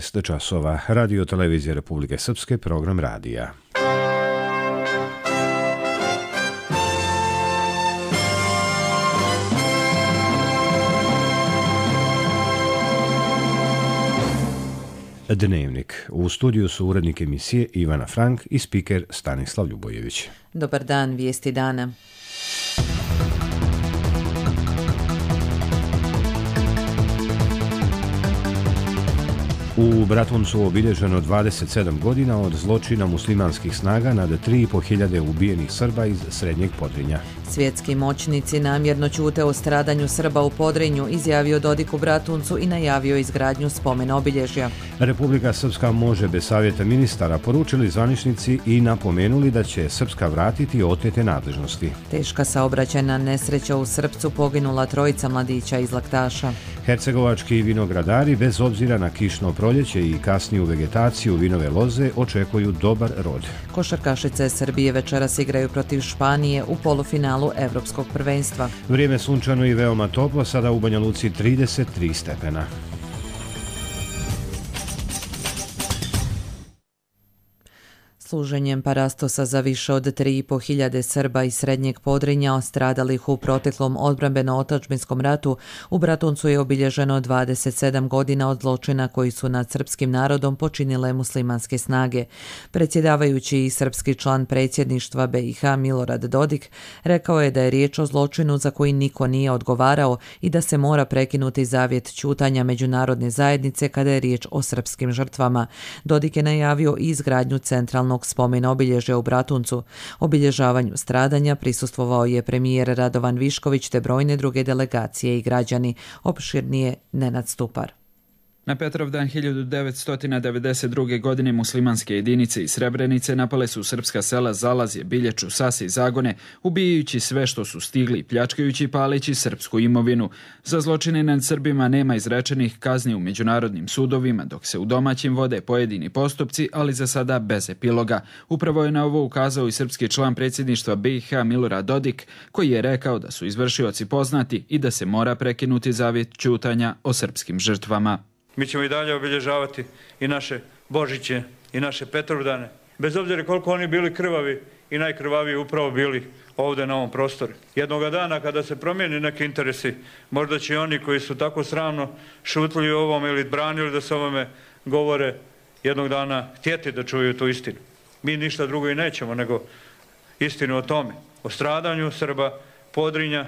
12 časova. Radio Televizije Republike Srpske, program radija. Dnevnik. U studiju su urednik emisije Ivana Frank i spiker Stanislav Ljubojević. Dobar dan, vijesti dana. U Bratuncu obilježeno 27 godina od zločina muslimanskih snaga nad 3.500 ubijenih Srba iz Srednjeg Podrinja. Svjetski moćnici namjerno ćute o stradanju Srba u Podrinju, izjavio Dodik u Bratuncu i najavio izgradnju spomen obilježja. Republika Srpska može bez savjeta ministara, poručili zvaničnici i napomenuli da će Srpska vratiti otete nadležnosti. Teška saobraćajna nesreća u Srpcu, poginula 3 mladića iz Laktaša. Hercegovački vinogradari, bez obzira na kišno proljeće i kasniju vegetaciju vinove loze, očekuju dobar rod. Košarkašice Srbije večeras igraju protiv Španije u polufinalu Evropskog prvenstva. Vrijeme sunčano i veoma toplo, sada u Banja Luci 33 stepena. Služenjem parastosa za više od 3.500 Srba iz Srednjeg Podrinja stradalih u proteklom odbrambeno-otadžbinskom ratu, u Bratuncu je obilježeno 27 godina od zločina koji su nad srpskim narodom počinile muslimanske snage. Predsjedavajući i srpski član predsjedništva BiH Milorad Dodik rekao je da je riječ o zločinu za koji niko nije odgovarao i da se mora prekinuti zavjet ćutanja međunarodne zajednice kada je riječ o srpskim žrtvama. Dodik je najavio i izgradnju centralnog spomen obilježja u Bratuncu. Obilježavanju stradanja prisustvovao je premijer Radovan Višković te brojne druge delegacije i građani. Opširnije Nenad Stupar. Na Petrovdan 1992. godine muslimanske jedinice iz Srebrenice napale su srpska sela Zalazje, Bilječu, Sase i Zagone, ubijajući sve što su stigli i pljačkajući i paleći srpsku imovinu. Za zločine nad Srbima nema izrečenih kazni u međunarodnim sudovima, dok se u domaćim vode pojedini postupci, ali za sada bez epiloga. Upravo je na ovo ukazao i srpski član predsjedništva BiH Milorad Dodik, koji je rekao da su izvršioci poznati i da se mora prekinuti zavjet ćutanja o srpskim žrtvama. Mi ćemo i dalje obilježavati i naše Božiće i naše Petrovdane, bez obzira koliko oni bili krvavi i najkrvaviji upravo bili ovdje na ovom prostoru. Jednoga dana kada se promijeni neki interesi, možda će oni koji su tako sramno šutili o ovom ili branili da se ovome govore, jednog dana htjeti da čuju tu istinu. Mi ništa drugo i nećemo nego istinu o tome, o stradanju Srba, Podrinja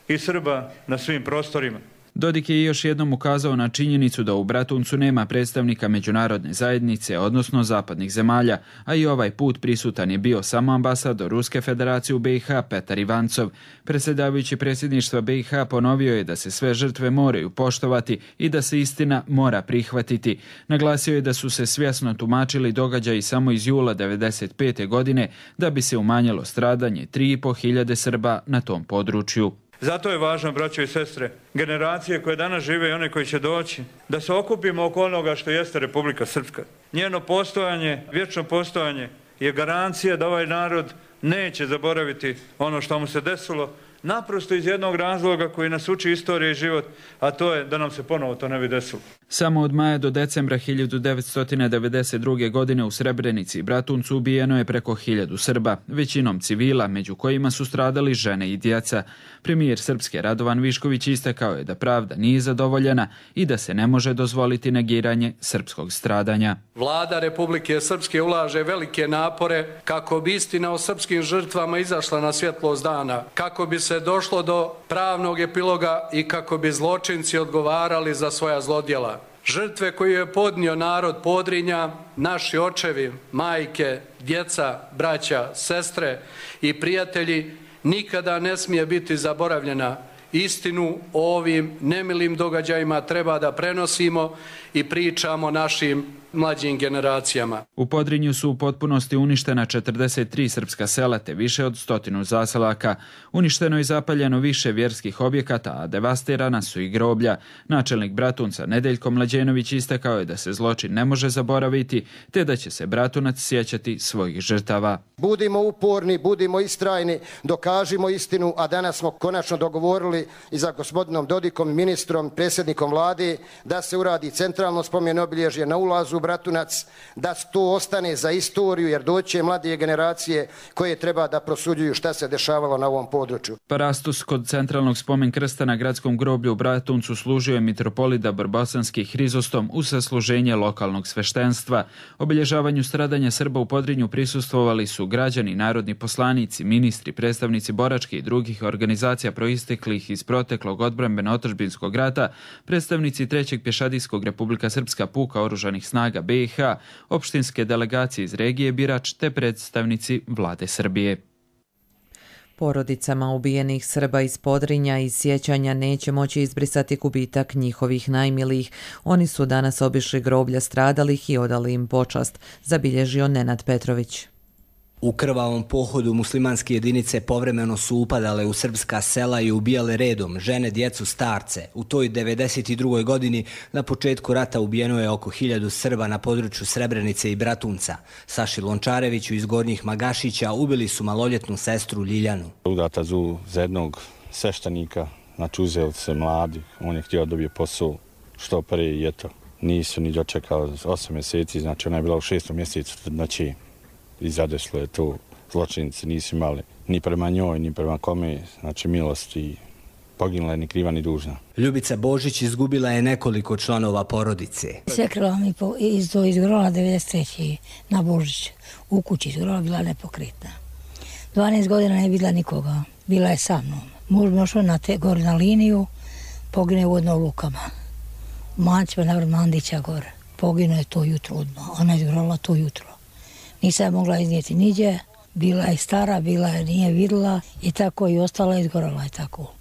i Srba na svim prostorima. Dodik je još jednom ukazao na činjenicu da u Bratuncu nema predstavnika međunarodne zajednice, odnosno zapadnih zemalja, a i ovaj put prisutan je bio samo ambasador Ruske federacije u BiH Petar Ivancov. Predsjedavajući predsjedništva BiH ponovio je da se sve žrtve moraju poštovati i da se istina mora prihvatiti. Naglasio je da su se svjesno tumačili događaji samo iz jula 1995. godine da bi se umanjilo stradanje 3.500 Srba na tom području. Zato je važno, braćo i sestre, generacije koje danas žive i one koji će doći, da se okupimo oko onoga što jeste Republika Srpska. Njeno postojanje, vječno postojanje je garancija da ovaj narod neće zaboraviti ono što mu se desilo, naprosto iz jednog razloga koji nas uči istorija i život, a to je da nam se ponovo to ne bi desilo. Samo od maja do decembra 1992. godine u Srebrenici i Bratuncu ubijeno je preko 1000 Srba, većinom civila, među kojima su stradali žene i djeca. Premijer Srpske Radovan Višković istakao je da pravda nije zadovoljena i da se ne može dozvoliti negiranje srpskog stradanja. Vlada Republike Srpske ulaže velike napore kako bi istina o srpskim žrtvama izašla na svjetlost dana, kako bi se došlo do pravnog epiloga i kako bi zločinci odgovarali za svoja zlodjela. Žrtve koje je podnio narod Podrinja, naši očevi, majke, djeca, braća, sestre i prijatelji nikada ne smije biti zaboravljena. Istinu o ovim nemilim događajima treba da prenosimo i pričamo našim mlađim generacijama. U Podrinju su u potpunosti uništena 43 srpska sela te više od 100 zaselaka. Uništeno i zapaljeno više vjerskih objekata, a devastirana su i groblja. Načelnik Bratunca Nedeljko Mlađenović istakao je da se zločin ne može zaboraviti, te da će se Bratunac sjećati svojih žrtava. Budimo uporni, budimo istrajni, dokažimo istinu, a danas smo konačno dogovorili tražili i za gospodinom Dodikom, ministrom, predsjednikom vlade, da se uradi centralno spomen obilježje na ulazu u Bratunac, da to ostane za istoriju, jer doće mlade generacije koje treba da prosuđuju šta se dešavalo na ovom području. Parastos kod centralnog spomen krsta na gradskom groblju u Bratuncu služio je mitropolita Brbosanski Hrizostom uz sasluženje lokalnog sveštenstva. Obilježavanju stradanja Srba u Podrinju prisustvovali su građani, narodni poslanici, ministri, predstavnici boračke i drugih organizacija proisteklih iz proteklog odbrambeno-otadžbinskog rata, predstavnici 3. pješadijskog Republika Srpska puka oružanih snaga BiH, opštinske delegacije iz regije Birač te predstavnici vlade Srbije. Porodicama ubijenih Srba iz Podrinja i sjećanja neće moći izbrisati gubitak njihovih najmilijih. Oni su danas obišli groblja stradalih i odali im počast, zabilježio Nenad Petrović. U krvavom pohodu muslimanske jedinice povremeno su upadale u srpska sela i ubijale redom žene, djecu, starce. U toj 92. godini na početku rata ubijeno je oko 1000 Srba na području Srebrenice i Bratunca. Saši Lončareviću iz Gornjih Magašića ubili su maloljetnu sestru Ljiljanu. Udata za jednog sveštenika, znači uzeli se mladi, on je htio dobije posao što prije i eto. Nisu ni dočekali 8 mjeseci, znači ona je bila u 6. mjesecu, znači i zadeslo je to. Zločinici nisu imali ni prema njoj, ni prema kome, znači milost i poginula je ni kriva ni dužna. Ljubica Božić izgubila je nekoliko članova porodice. Svekrva mi izgorala 93. na Božić. U kući izgorala, bila nepokretna. 12 godina ne bila nikoga, bila je sa mnom. Muž mi ošao gore na liniju, pogine vodno u Lukama. U Mancima, navrlo Mandića gore. Pogino je to jutro odmah, ona je izgorala to jutro. Nisam je mogla iznijeti niđe, bila je stara, bila je nije vidjela i tako i ostala izgorala je tako.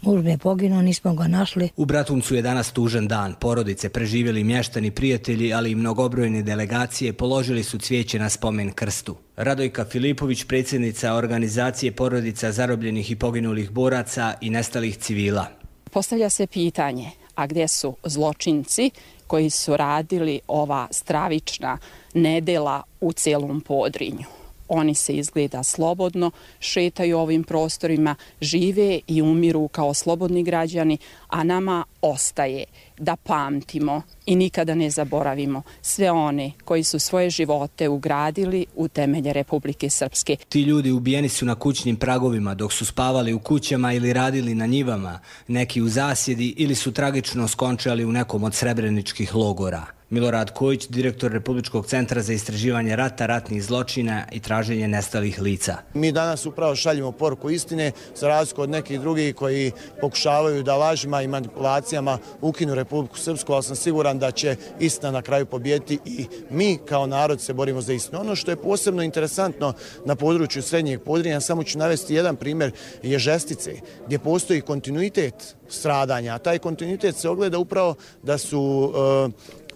Muž mi je poginuo, nismo ga našli. U Bratuncu je danas tužan dan. Porodice, preživjeli mještani, prijatelji, ali i mnogobrojne delegacije položili su cvijeće na spomen krstu. Radojka Filipović, predsjednica organizacije porodica zarobljenih i poginulih boraca i nestalih civila. Postavlja se pitanje, a gdje su zločinci koji su radili ova stravična nedela u cijelom Podrinju? Oni se izgleda slobodno šetaju ovim prostorima, žive i umiru kao slobodni građani, a nama ostaje da pamtimo i nikada ne zaboravimo sve one koji su svoje živote ugradili u temelje Republike Srpske. Ti ljudi ubijeni su na kućnim pragovima dok su spavali u kućama ili radili na njivama, neki u zasjedi ili su tragično skončali u nekom od srebreničkih logora. Milorad Kojić, direktor Republičkog centra za istraživanje rata, ratnih zločina i traženje nestalih lica. Mi danas upravo šaljemo poruku istine, za razliku od nekih drugih koji pokušavaju da lažima i manipulacijama ukinu Republiku Srpsku, ali sam siguran da će istina na kraju pobijediti i mi kao narod se borimo za istinu. Ono što je posebno interesantno na području Srednjeg Podrinja, samo ću navesti jedan primjer, je Žestice, gdje postoji kontinuitet stradanja, a taj kontinuitet se ogleda upravo da su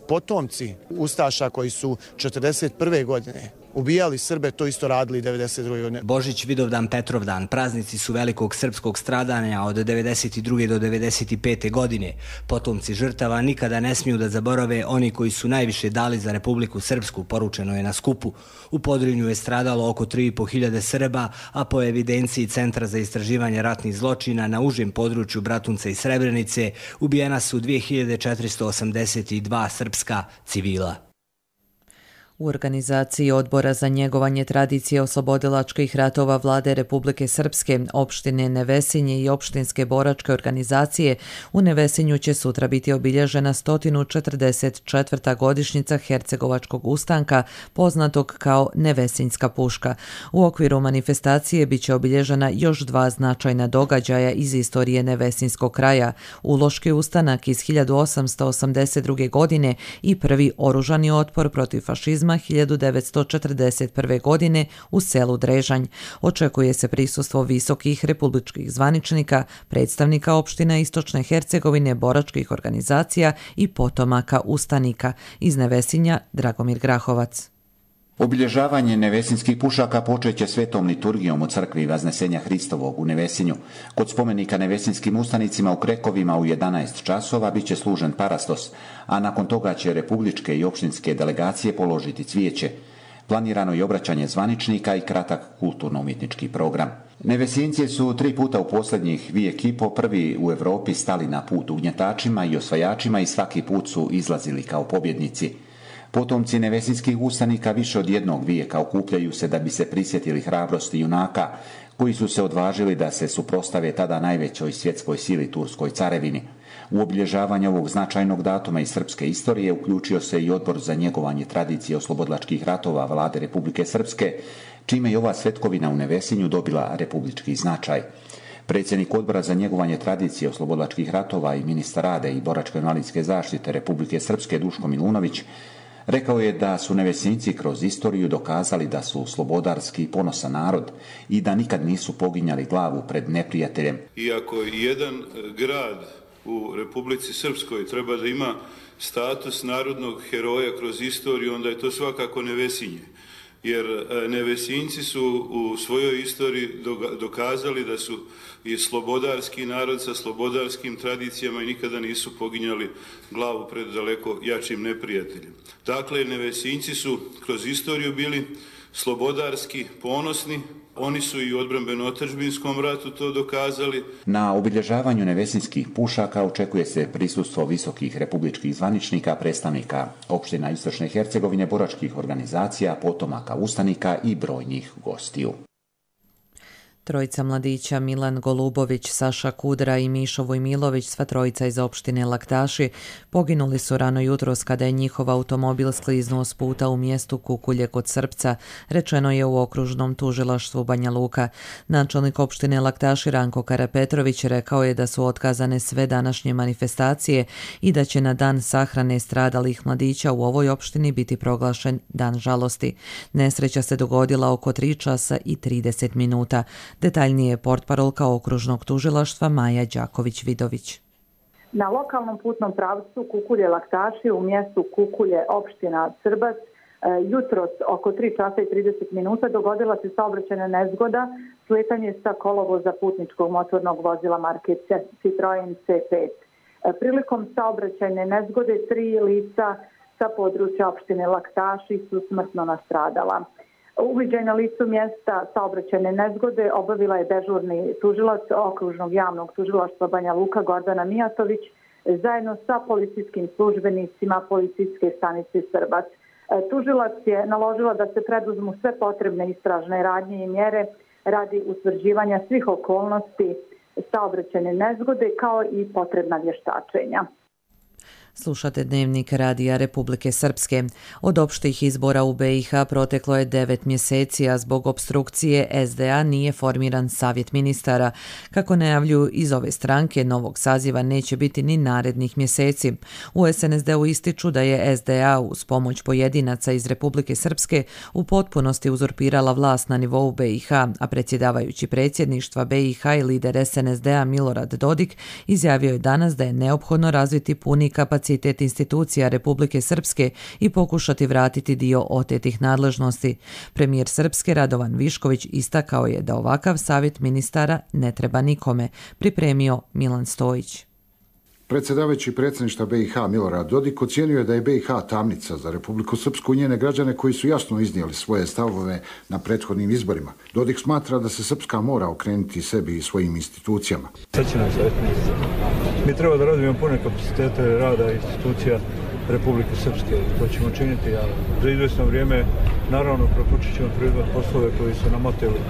potomci ustaša koji su 1941. godine ubijali Srbe, to isto radili 1992. godine. Božić, Vidovdan, Petrovdan, praznici su velikog srpskog stradanja od 1992. do 1995. godine. Potomci žrtava nikada ne smiju da zaborave oni koji su najviše dali za Republiku Srpsku, poručeno je na skupu. U Podrinju je stradalo oko 3.500 Srba, a po evidenciji Centra za istraživanje ratnih zločina na užem području Bratunca i Srebrenice ubijena su 2482 srpska civila. U organizaciji Odbora za njegovanje tradicije oslobodilačkih ratova Vlade Republike Srpske, opštine Nevesinje i opštinske boračke organizacije, u Nevesinju će sutra biti obilježena 144. godišnjica Hercegovačkog ustanka, poznatog kao Nevesinjska puška. U okviru manifestacije biće obilježena još 2 značajna događaja iz istorije Nevesinjskog kraja, Uloški ustanak iz 1882. godine i prvi oružani otpor protiv fašizma 1941. godine u selu Drežanj. Očekuje se prisustvo visokih republičkih zvaničnika, predstavnika opština Istočne Hercegovine, boračkih organizacija i potomaka ustanika. Iz Nevesinja Dragomir Grahovac. Obilježavanje nevesinskih pušaka počeće svetom liturgijom u crkvi Vaznesenja Hristovog u Nevesinju. Kod spomenika nevesinskim ustanicima u Krekovima u 11 časova biće služen parastos, a nakon toga će republičke i opštinske delegacije položiti cvijeće. Planirano je obraćanje zvaničnika i kratak kulturno-umjetnički program. Nevesinci su 3 puta u posljednjih vijek i po prvi u Europi stali na put ugnjetačima i osvajačima i svaki put su izlazili kao pobjednici. Potomci nevesinskih ustanika više od jednog vijeka okupljaju se da bi se prisjetili hrabrosti junaka koji su se odvažili da se suprotstave tada najvećoj svjetskoj sili Turskoj carevini. U obilježavanje ovog značajnog datuma iz srpske istorije uključio se i Odbor za njegovanje tradicije oslobodilačkih ratova Vlade Republike Srpske, čime je ova svetkovina u Nevesinju dobila republički značaj. Predsjednik Odbora za njegovanje tradicije oslobodilačkih ratova i ministar rade i boračko-invalidske zaštite Republike Srpske Duško Milunović rekao je da su Nevesinci kroz istoriju dokazali da su slobodarski i ponosan narod i da nikad nisu poginjali glavu pred neprijateljem. Iako jedan grad u Republici Srpskoj treba da ima status narodnog heroja kroz istoriju, onda je to svakako Nevesinje. Jer Nevesinci su u svojoj istoriji dokazali da su i slobodarski narod sa slobodarskim tradicijama i nikada nisu poginjali glavu pred daleko jačim neprijateljem. Dakle, Nevesinci su kroz istoriju bili slobodarski, ponosni. Oni su i u odbrambeno-otadžbinskom ratu to dokazali. Na obilježavanju nevesinskih pušaka očekuje se prisustvo visokih republičkih zvaničnika, predstavnika opština Istočne Hercegovine, boračkih organizacija, potomaka ustanika i brojnih gostiju. Trojica mladića Milan Golubović, Saša Kudra i Mišo Vojmilović, sva trojica iz opštine Laktaši, poginuli su rano jutros kada je njihov automobil skliznuo s puta u mjestu Kukulje kod Srpca, rečeno je u okružnom tužilaštvu Banja Luka. Načelnik opštine Laktaši Ranko Karapetrović rekao je da su otkazane sve današnje manifestacije i da će na dan sahrane stradalih mladića u ovoj opštini biti proglašen dan žalosti. Nesreća se dogodila oko 3 časa i 30 minuta. Detaljnije portparolka okružnog tužilaštva Maja Đaković-Vidović. Na lokalnom putnom pravcu Kukulje-Laktaši u mjestu Kukulje, opština Srbac, jutros oko 3 časa i 30 minuta dogodila se saobraćajna nezgoda, sletanje sa kolovoza putničkog motornog vozila marke Citroen C5. Prilikom saobraćajne nezgode 3 lica sa područja opštine Laktaši su smrtno nastradala. Uviđaj na licu mjesta saobraćajne nezgode obavila je dežurni tužilac okružnog javnog tužilaštva Banja Luka Gordana Mijatović zajedno sa policijskim službenicima policijske stanice Srbac. Tužilac je naložila da se preduzmu sve potrebne istražne radnje i mjere radi utvrđivanja svih okolnosti saobraćajne nezgode kao i potrebna vještačenja. Slušate Dnevnik Radija Republike Srpske. Od opštih izbora u BiH proteklo je 9 mjeseci, a zbog opstrukcije SDA nije formiran savjet ministara. Kako najavljuju iz ove stranke, novog saziva neće biti ni narednih mjeseci. U SNSD-u ističu da je SDA uz pomoć pojedinaca iz Republike Srpske u potpunosti uzurpirala vlast na nivou BiH, a predsjedavajući predsjedništva BiH i lider SNSD-a Milorad Dodik izjavio je danas da je neophodno razviti puni kapacitet institucija Republike Srpske i pokušati vratiti dio otetih nadležnosti. Premijer Srpske Radovan Višković istakao je da ovakav savjet ministara ne treba nikome, pripremio Milan Stojić. Predsjedavajući predsjedništva BiH Milorad Dodik ocijenio je da je BiH tamnica za Republiku Srpsku i njene građane koji su jasno iznijeli svoje stavove na prethodnim izborima. Dodik smatra da se Srpska mora okrenuti sebi i svojim institucijama. Mi treba da radimo pune kapacitete rada institucija Republike Srpske. To ćemo činiti, a za izvjesno vrijeme naravno propočet ćemo preuzimati poslove koji su nam oteli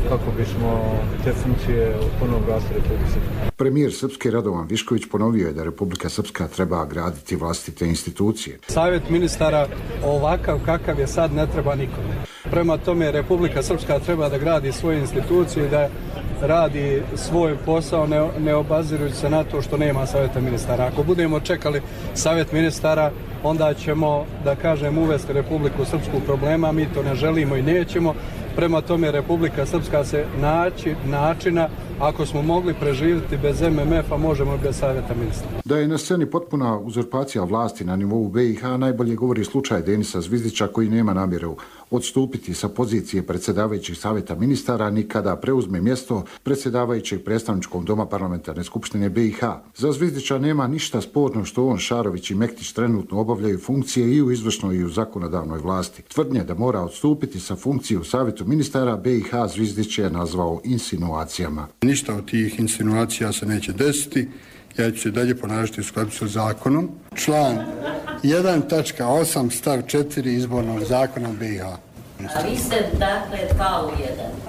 kako bismo te funkcije ponovno vratili Republike Srpske. Premijer Srpske Radovan Višković ponovio je da Republika Srpska treba graditi vlastite institucije. Savjet ministara ovakav kakav je sad ne treba nikome. Prema tome Republika Srpska treba da gradi svoje institucije, da radi svoj posao ne obazirujući se na to što nema savjeta ministara. Ako budemo čekali savjet ministara, onda ćemo, da kažem, uvesti Republiku Srpsku problema, mi to ne želimo i nećemo. Prema tome Republika Srpska se naći načina Ako smo mogli preživjeti bez MMF-a, možemo i bez savjeta ministra. Da je na sceni potpuna uzurpacija vlasti na nivou BiH najbolje govori slučaj Denisa Zvizdića koji nema namjeru odstupiti sa pozicije predsjedavajućih savjeta ministara ni kada preuzme mjesto predsjedavajućeg predstavničkog doma parlamentarne skupštine BiH. Za Zvizdića nema ništa sporno što on, Šarović i Mektić trenutno obavljaju funkcije i u izvršnoj i u zakonodavnoj vlasti. Tvrdnje da mora odstupiti sa funkcije u savjetu ministara BiH Zvizdić je nazvao insinuacijama. Ništa od tih insinuacija se neće desiti. Ja ću se dalje ponašati u skladu sa zakonom. Član 1.8 stav 4 izbornog zakona BiH. A vi ste dakle 2 u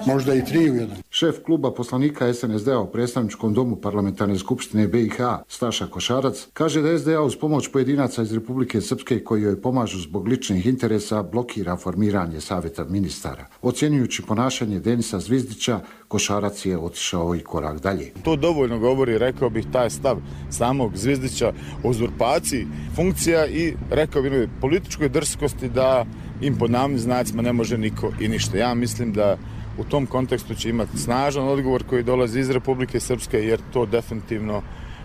1. Možda i 3 u 1. Šef kluba poslanika SNSD-a u predstavničkom domu parlamentarne skupštine BiH, Staša Košarac, kaže da SDA uz pomoć pojedinaca iz Republike Srpske koji joj pomažu zbog ličnih interesa blokira formiranje savjeta ministara. Ocjenjujući ponašanje Denisa Zvizdića, Košarac je otišao i korak dalje. To dovoljno govori, rekao bih, taj stav samog Zvizdića o uzurpaciji funkcija i rekao bih političkoj drskosti da im pod navodnim znacima ne može niko i ništa. Ja mislim da u tom kontekstu će imati snažan odgovor koji dolazi iz Republike Srpske jer to definitivno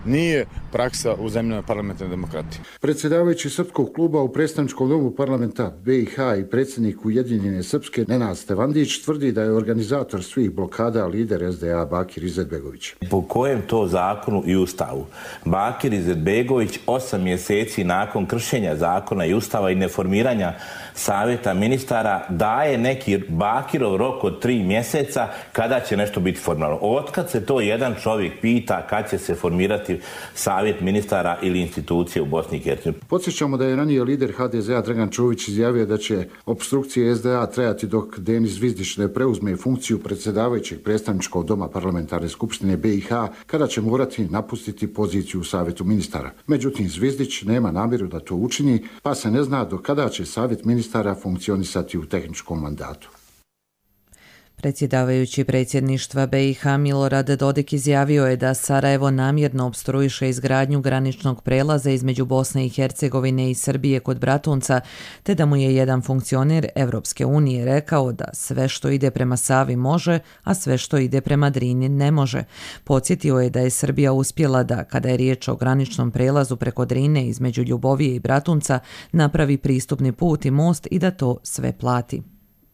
nije praksa u zemljama parlamentarne demokratije. Predsjedavajući Srpskog kluba u predstavničkom domu parlamenta BiH i predsjednik Ujedinjene Srpske Nenad Stevandić tvrdi da je organizator svih blokada lider SDA Bakir Izetbegović. Po kojem to zakonu i ustavu Bakir Izetbegović 8 mjeseci nakon kršenja zakona i ustava i neformiranja savjeta ministara daje neki Bakirov rok od 3 mjeseca kada će nešto biti formirano. Otkad se to jedan čovjek pita kad će se formirati savjet ministara ili institucije u Bosni i Hercegovini. Podsjećamo da je ranije lider HDZ-a Dragan Čović izjavio da će opstrukcije SDA trajati dok Denis Zvizdić ne preuzme funkciju predsjedavajućeg predstavničkog doma parlamentarne skupštine BiH kada će morati napustiti poziciju u savjetu ministara. Međutim, Zvizdić nema namjeru da to učini, pa se ne zna do kada će savjet ministara funkcionisati u tehničkom mandatu. Predsjedavajući predsjedništva BiH Milorad Dodik izjavio je da Sarajevo namjerno opstruiše izgradnju graničnog prelaza između Bosne i Hercegovine i Srbije kod Bratunca, te da mu je jedan funkcioner Evropske unije rekao da sve što ide prema Savi može, a sve što ide prema Drini ne može. Podsjetio je da je Srbija uspjela da, kada je riječ o graničnom prelazu preko Drine između Ljubovije i Bratunca, napravi pristupni put i most i da to sve plati.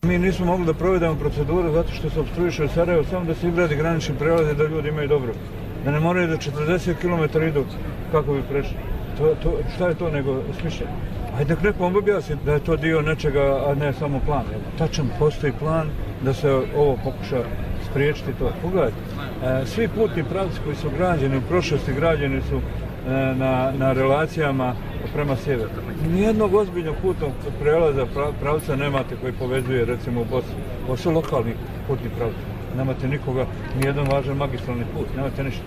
Mi nismo mogli da provedemo proceduru zato što se opstruiše u Sarajevo samo da se izgradi granični prelaz i da ljudi imaju dobro. Da ne moraju da 40 km idu kako bi prešli. Šta je to nego smišljeno? Ajde nek nekom objasni da je to dio nečega, a ne samo plan. Tačan postoji plan da se ovo pokuša spriječiti to. Pogledajte, svi putni pravci koji su građeni u prošlosti građeni su na relacijama prema sjeveru. Nijednog ozbiljnog putnog prelaza pravca nemate koji povezuje recimo u Bosni. Ovo su lokalni putni pravci. Nemate nikoga, nijedan važan magistralni put, nemate ništa.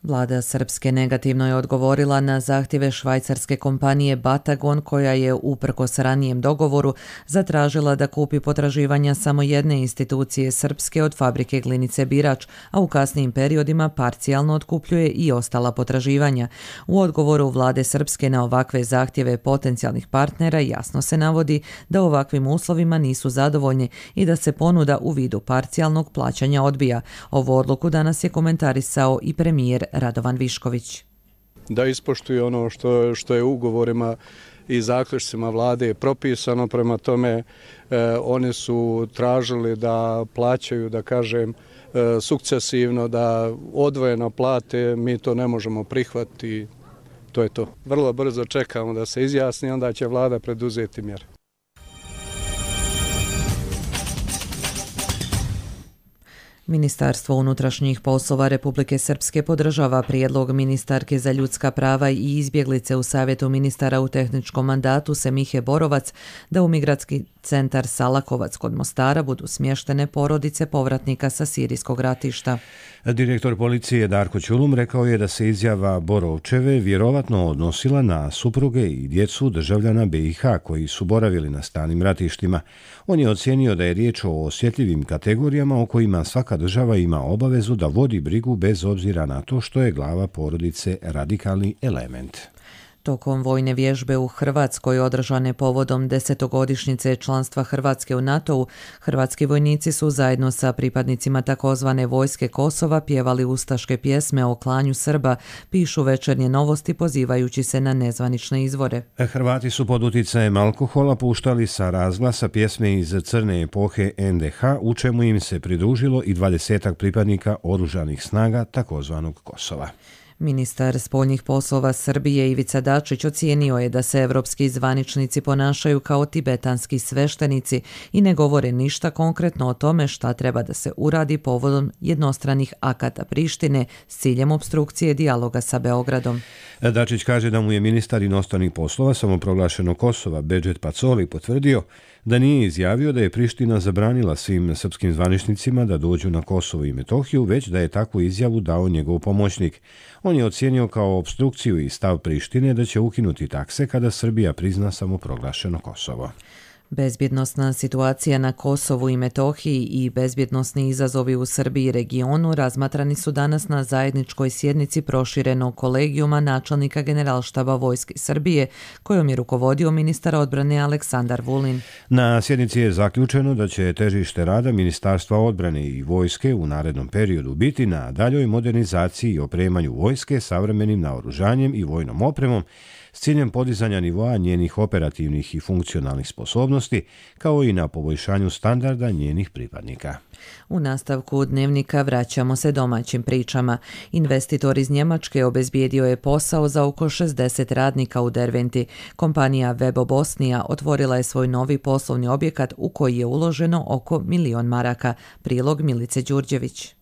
Vlada Srpske negativno je odgovorila na zahtjeve švajcarske kompanije Batagon koja je uprkos ranijem dogovoru zatražila da kupi potraživanja samo jedne institucije Srpske od fabrike Glinice Birač, a u kasnijim periodima parcijalno otkupljuje i ostala potraživanja. U odgovoru Vlade Srpske na ovakve zahtjeve potencijalnih partnera jasno se navodi da ovakvim uslovima nisu zadovoljni i da se ponuda u vidu parcijalnog plaćanja odbija. Ovu odluku danas je komentarisao i premijer Radovan Višković. Da ispoštuju ono što je ugovorima i zaključcima vlade propisano, prema tome oni su tražili da plaćaju, da kažem, sukcesivno, da odvojeno plate, mi to ne možemo prihvatiti, to je to. Vrlo brzo čekamo da se izjasni, onda će vlada preduzeti mjere. Ministarstvo unutrašnjih poslova Republike Srpske podržava prijedlog ministarke za ljudska prava i izbjeglice u Savjetu ministara u tehničkom mandatu Semihe Borovac da u migratski centar Salakovac kod Mostara budu smještene porodice povratnika sa sirijskog ratišta. Direktor policije Darko Ćulum rekao je da se izjava Borovčeve vjerovatno odnosila na supruge i djecu državljana BiH koji su boravili na stalnim ratištima. On je ocijenio da je riječ o osjetljivim kategorijama o kojima svaka država ima obavezu da vodi brigu bez obzira na to što je glava porodice radikalni element. Tokom vojne vježbe u Hrvatskoj održane povodom 10-godišnjice članstva Hrvatske u NATO-u, hrvatski vojnici su zajedno sa pripadnicima takozvane vojske Kosova pjevali ustaške pjesme o klanju Srba, pišu Večernje novosti pozivajući se na nezvanične izvore. Hrvati su pod utjecajem alkohola puštali sa razglasa pjesme iz crne epohe NDH, u čemu im se pridružilo i 20 pripadnika oružanih snaga takozvanog Kosova. Ministar spoljnih poslova Srbije Ivica Dačić ocijenio je da se evropski zvaničnici ponašaju kao tibetanski sveštenici i ne govore ništa konkretno o tome šta treba da se uradi povodom jednostranih akata Prištine s ciljem opstrukcije dijaloga sa Beogradom. Dačić kaže da mu je ministar inostranih poslova samoproglašenog Kosova Bedžet Pacoli potvrdio da nije izjavio da je Priština zabranila svim srpskim zvaničnicima da dođu na Kosovo i Metohiju, već da je takvu izjavu dao njegov pomoćnik. On je ocijenio kao opstrukciju i stav Prištine da će ukinuti takse kada Srbija prizna samoproglašeno Kosovo. Bezbjednosna situacija na Kosovu i Metohiji i bezbjednosni izazovi u Srbiji i regionu razmatrani su danas na zajedničkoj sjednici proširenog kolegijuma načelnika Generalštaba Vojske Srbije, kojom je rukovodio ministar odbrane Aleksandar Vulin. Na sjednici je zaključeno da će težište rada Ministarstva odbrane i vojske u narednom periodu biti na daljoj modernizaciji i opremanju vojske savremenim naoružanjem i vojnom opremom s ciljem podizanja nivoa njenih operativnih i funkcionalnih sposobnosti, kao i na poboljšanju standarda njenih pripadnika. U nastavku dnevnika vraćamo se domaćim pričama. Investitor iz Njemačke obezbijedio je posao za oko 60 radnika u Derventi. Kompanija Webo Bosnija otvorila je svoj novi poslovni objekat u koji je uloženo oko 1.000.000 maraka. Prilog Milice Đurđević.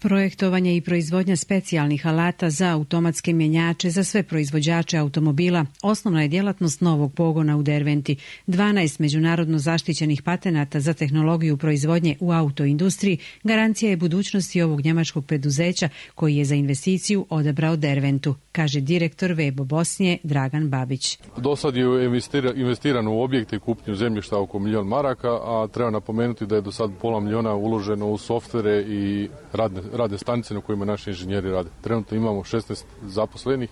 Projektovanje i proizvodnja specijalnih alata za automatske mjenjače za sve proizvođače automobila osnovna je djelatnost novog pogona u Derventi. 12 međunarodno zaštićenih patenata za tehnologiju proizvodnje u autoindustriji garancija je budućnosti ovog njemačkog preduzeća koji je za investiciju odabrao Derventu, kaže direktor Webo Bosnije Dragan Babić. Do sad je investirano u objekte i kupnju zemljišta oko 1.000.000 maraka, a treba napomenuti da je do sad $500.000 uloženo u softvere i radne stanice na kojima naši inženjeri rade. Trenutno imamo 16 zaposlenih,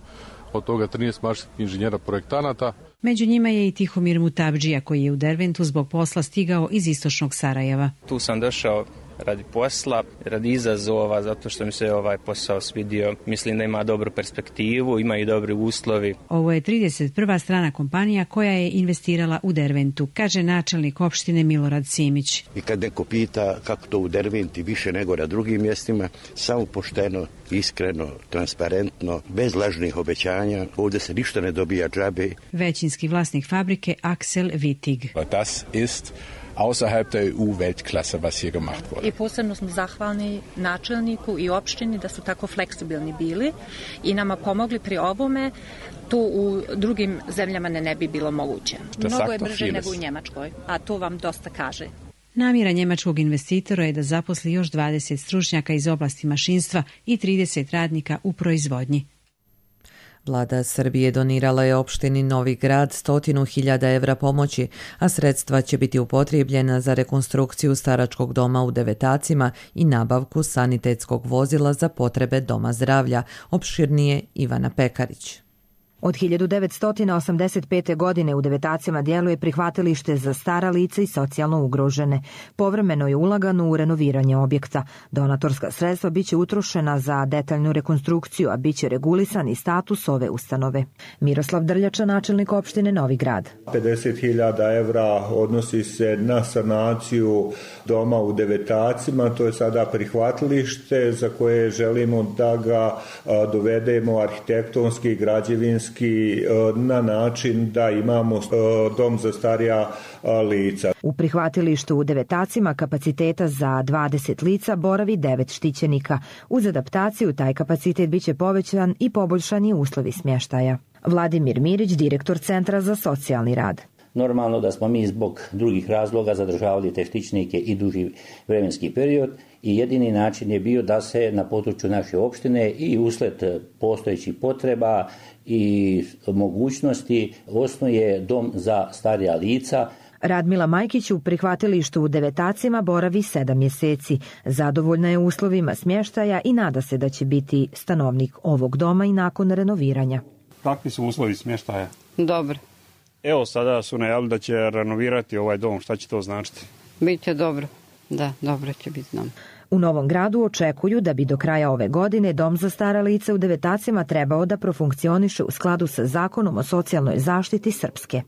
od toga 13 mašinskih inženjera projektanata. Među njima je i Tihomir Mutabdžija koji je u Derventu zbog posla stigao iz istočnog Sarajeva. Tu sam došao radi posla, radi izazova, zato što mi se ovaj posao svidio. Mislim da ima dobru perspektivu, ima i dobri uslovi. Ovo je 31. strana kompanija koja je investirala u Derventu, kaže načelnik opštine Milorad Simić. I kad neko pita kako to u Derventi više nego na drugim mjestima, samo pošteno, iskreno, transparentno, bez lažnih obećanja, ovdje se ništa ne dobija džabe. Većinski vlasnik fabrike Axel Wittig. Das ist außerhalb der EU Weltklasse, was hier gemacht wurde. I posebno smo zahvalni načelniku i opštini da su tako fleksibilni bili i nama pomogli pri ovome. To u drugim zemljama ne bi bilo moguće. Mnogo je brže nego u Njemačkoj, a to vam dosta kaže. Namjera njemačkog investitora je da zaposli još 20 stručnjaka iz oblasti mašinstva i 30 radnika u proizvodnji. Vlada Srbije donirala je opštini Novi Grad 100.000 evra pomoći, a sredstva će biti upotrijebljena za rekonstrukciju staračkog doma u Devetacima i nabavku sanitetskog vozila za potrebe Doma zdravlja, opširnije Ivana Pekarić. Od 1985. godine u Devetacima djeluje prihvatilište za stara lica i socijalno ugrožene. Povremeno je ulagano u renoviranje objekta. Donatorska sredstva biće utrošena za detaljnu rekonstrukciju, a biće regulisan i status ove ustanove. Miroslav Drljača, načelnik opštine Novi Grad. 50.000 evra odnosi se na sanaciju doma u Devetacima. To je sada prihvatilište za koje želimo da ga dovedemo arhitektonski, građevinski, na način da imamo dom za starija lica. U prihvatilištu u Devetacima kapaciteta za 20 lica boravi 9 štićenika. Uz adaptaciju taj kapacitet biće povećan i poboljšani uslovi smještaja. Vladimir Mirić, direktor Centra za socijalni rad. Normalno da smo mi zbog drugih razloga zadržavali te štićnike i duži vremenski period i jedini način je bio da se na području naše opštine i usled postojećih potreba i mogućnosti osnuje dom za starija lica. Radmila Majkić u prihvatilištu u Devetacima boravi 7 mjeseci. Zadovoljna je uslovima smještaja i nada se da će biti stanovnik ovog doma i nakon renoviranja. kakvi su uslovi smještaja? Dobro. Evo sada su najavili da će renovirati ovaj dom, šta će to značiti? Biće dobro, da, dobro će biti nam. U Novom Gradu očekuju da bi do kraja ove godine dom za stara lica u Devetacima trebao da profunkcioniše u skladu sa Zakonom o socijalnoj zaštiti Srpske.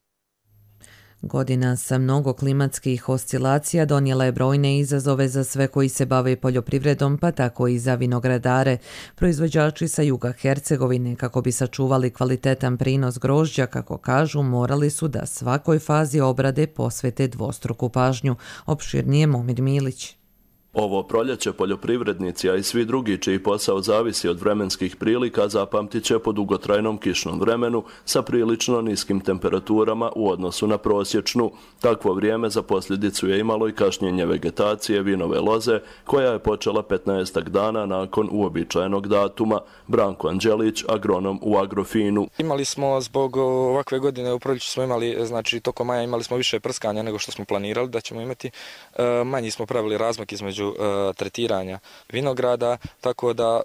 Godina sa mnogo klimatskih oscilacija donijela je brojne izazove za sve koji se bave poljoprivredom, pa tako i za vinogradare. Proizvođači sa juga Hercegovine, kako bi sačuvali kvalitetan prinos grožđa, kako kažu, morali su da svakoj fazi obrade posvete dvostruku pažnju. Opširnije Momir Milić. Ovo proljeće poljoprivrednici, a i svi drugi čiji posao zavisi od vremenskih prilika, zapamtit će po dugotrajnom kišnom vremenu sa prilično niskim temperaturama u odnosu na prosječnu. Takvo vrijeme za posljedicu je imalo i kašnjenje vegetacije vinove loze, koja je počela 15 dana nakon uobičajenog datuma. Branko Anđelić, agronom u Agrofinu. Imali smo zbog ovakve godine u proljeću smo imali, znači tokom maja imali smo više prskanja nego što smo planirali da ćemo imati. Manji smo pravili razmak između tretiranja vinograda, tako da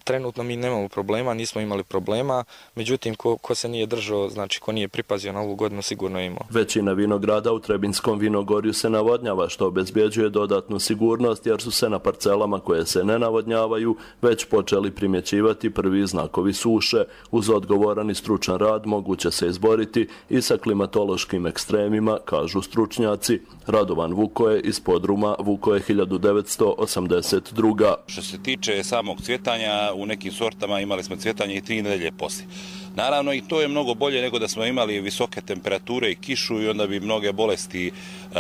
trenutno mi nemamo problema, nismo imali problema, međutim ko se nije držao, znači ko nije pripazio na ovu godinu, sigurno je imao. Većina vinograda u Trebinskom vinogorju se navodnjava, što obezbjeđuje dodatnu sigurnost, jer su se na parcelama koje se ne navodnjavaju već počeli primjećivati prvi znakovi suše. Uz odgovoran i stručan rad moguće se izboriti i sa klimatološkim ekstremima, kažu stručnjaci. Radovan Vukoje iz podruma Vukoje 1982. Što se tiče samog cvjetanja, u nekim sortama imali smo cvjetanje i 3 nedelje poslije. Naravno i to je mnogo bolje nego da smo imali visoke temperature i kišu i onda bi mnoge bolesti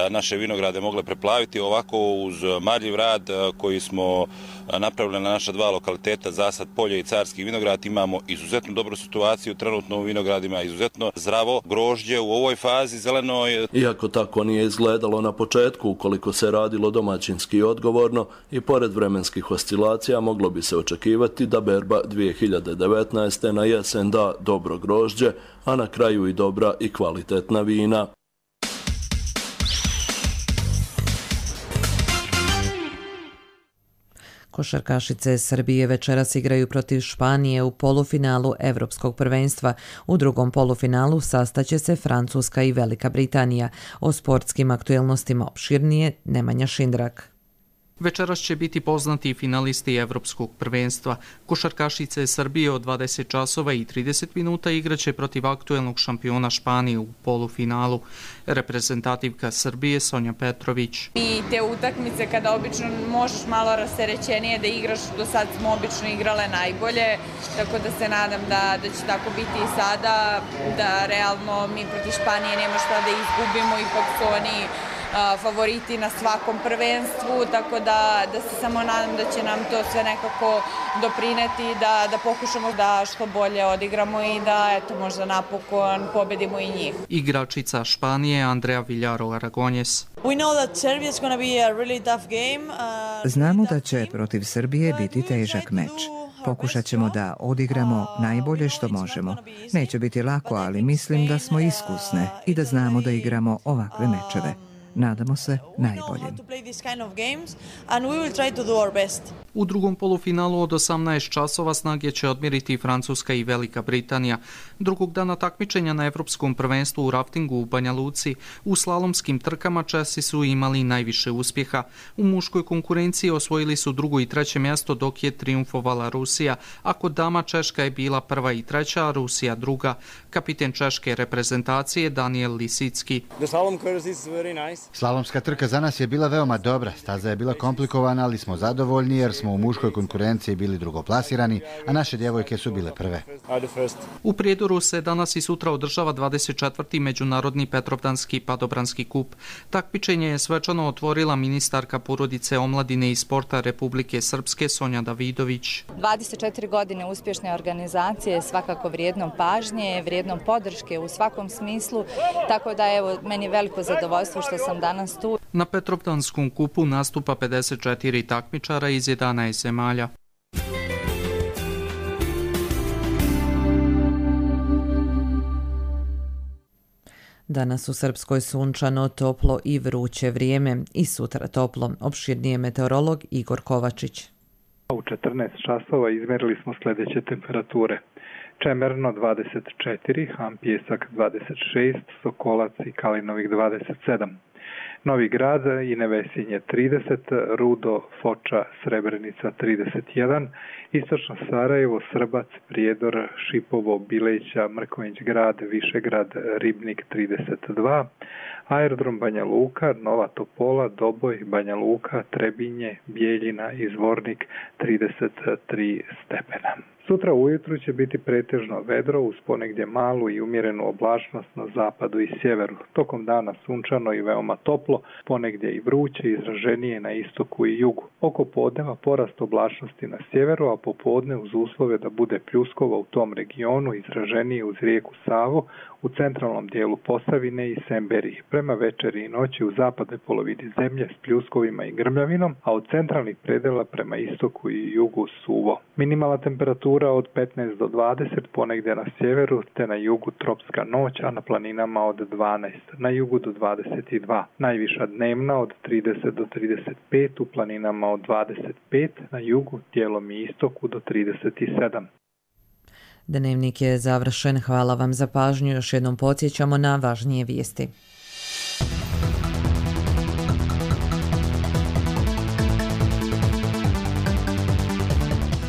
naše vinograde mogle preplaviti. Ovako uz marljiv rad koji smo napravili na naša 2 lokaliteta, Zasad polje i Carski vinograd, imamo izuzetno dobru situaciju, trenutno u vinogradima izuzetno zdravo grožđe u ovoj fazi zelenoj. Iako tako nije izgledalo na početku, ukoliko se radilo domaćinski i odgovorno i pored vremenskih oscilacija, moglo bi se očekivati da berba 2019. na jesen da dobro grožđe, a na kraju i dobra i kvalitetna vina. Košarkašice Srbije večeras igraju protiv Španije u polufinalu Evropskog prvenstva. U drugom polufinalu sastaće se Francuska i Velika Britanija. O sportskim aktuelnostima opširnije Nemanja Šindrak. Večeras će biti poznati finalisti Evropskog prvenstva. Košarkašice Srbije od 20 časova i 30 minuta igraće protiv aktuelnog šampiona Španije u polufinalu. Reprezentativka Srbije Sonja Petrović. I te utakmice kada obično možeš malo rasterećenije da igraš, do sad smo obično igrale najbolje, tako da se nadam da će tako biti i sada, da realno mi protiv Španije nema šta da izgubimo, ipak su oni favoriti na svakom prvenstvu, tako da se samo nadam da će nam to sve nekako doprineti, da pokušamo da što bolje odigramo i da eto možda napokon pobedimo i njih. Igračica Španije Andrea Villaro Aragonjes. Znamo da će protiv Srbije biti težak meč. Pokušat ćemo da odigramo najbolje što možemo. Neće biti lako, ali mislim da smo iskusne i da znamo da igramo ovakve mečeve. Nadamo se najboljem. U drugom polufinalu od 18 časova snage će odmjeriti Francuska i Velika Britanija. Drugog dana takmičenja na Evropskom prvenstvu u raftingu u Banja Luci, u slalomskim trkama Česi su imali najviše uspjeha. U muškoj konkurenciji osvojili su 2. i 3. mjesto, dok je triumfovala Rusija, a kod dama Češka je bila 1. i 3., a Rusija 2. Kapiten češke reprezentacije Daniel Lisicki. Slalomska trka za nas je bila veoma dobra. Staza je bila komplikovana, ali smo zadovoljni jer smo u muškoj konkurenciji bili drugoplasirani, a naše djevojke su bile prve. U Prijedoru se danas i sutra održava 24. Međunarodni Petrovdanski padobranski kup. Takmičenje je svečano otvorila ministarka porodice, omladine i sporta Republike Srpske Sonja Davidović. 24 godine uspješne organizacije, svakako vrijednom pažnje, vrijednom podrške u svakom smislu, tako da evo meni je veliko zadovoljstvo što sam danas tu. Na Petrovdanskom kupu nastupa 54 takmičara iz 11 zemalja. Danas u Srpskoj sunčano, toplo i vruće vrijeme i sutra toplo. Opširnije meteorolog Igor Kovačić. U 14 časova izmerili smo sljedeće temperature. Čemerno 24, Hampijesak 26, Sokolac i Kalinovik 27. Novi Grad i Nevesinje 30, Rudo, Foča, Srebrenica 31, Istočno Sarajevo, Srbac, Prijedor, Šipovo, Bileća, Mrkonjić Grad, Višegrad, Ribnik 32, Aerodrom Banja Luka, Nova Topola, Doboj, Banja Luka, Trebinje, Bijeljina i Zvornik 33 stepena. Sutra ujutru će biti pretežno vedro uz ponegdje malu i umjerenu oblačnost na zapadu i sjeveru. Tokom dana sunčano i veoma toplo, ponegdje i vruće, izraženije na istoku i jugu. Oko podneva porast oblačnosti na sjeveru, a popodne uz uslove da bude pljuskova u tom regionu izraženije uz rijeku Savu, u centralnom dijelu Posavine i Semberiji. Prema večeri i noći u zapadnoj polovini zemlje s pljuskovima i grmljavinom, a od centralnih predela prema istoku i jugu suvo. Minimalna temperatura od 15 do 20, ponegdje na sjeveru, te na jugu tropska noć, a na planinama od 12, na jugu do 22. Najviša dnevna od 30 do 35, u planinama od 25, na jugu, dijelom i istoku do 37. Dnevnik je završen. Hvala vam za pažnju. Još jednom podsjećamo na važnije vijesti.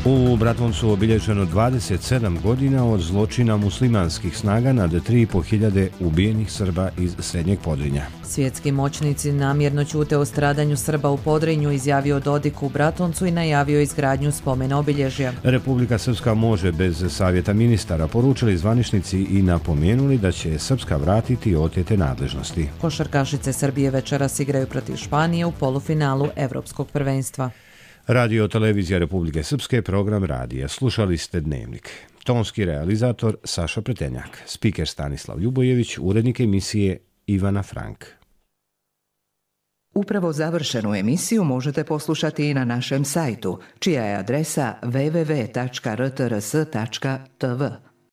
U Bratuncu obilježeno 27 godina od zločina muslimanskih snaga nad 3.500 ubijenih Srba iz Srednjeg Podrinja. Svjetski moćnici namjerno ćute o stradanju Srba u Podrinju, izjavio Dodik u Bratuncu i najavio izgradnju spomen obilježja. Republika Srpska može bez savjeta ministara, poručili zvaničnici i napomenuli da će Srpska vratiti otete nadležnosti. Košarkašice Srbije večeras igraju protiv Španije u polufinalu Evropskog prvenstva. Radio Televizija Republike Srpske, program radija. Slušali ste Dnevnik. Tonski realizator Saša Pretenjak, spiker Stanislav Ljubojević, urednik emisije Ivana Frank. Upravo završenu emisiju možete poslušati i na našem sajtu, čija je adresa www.rtrs.tv.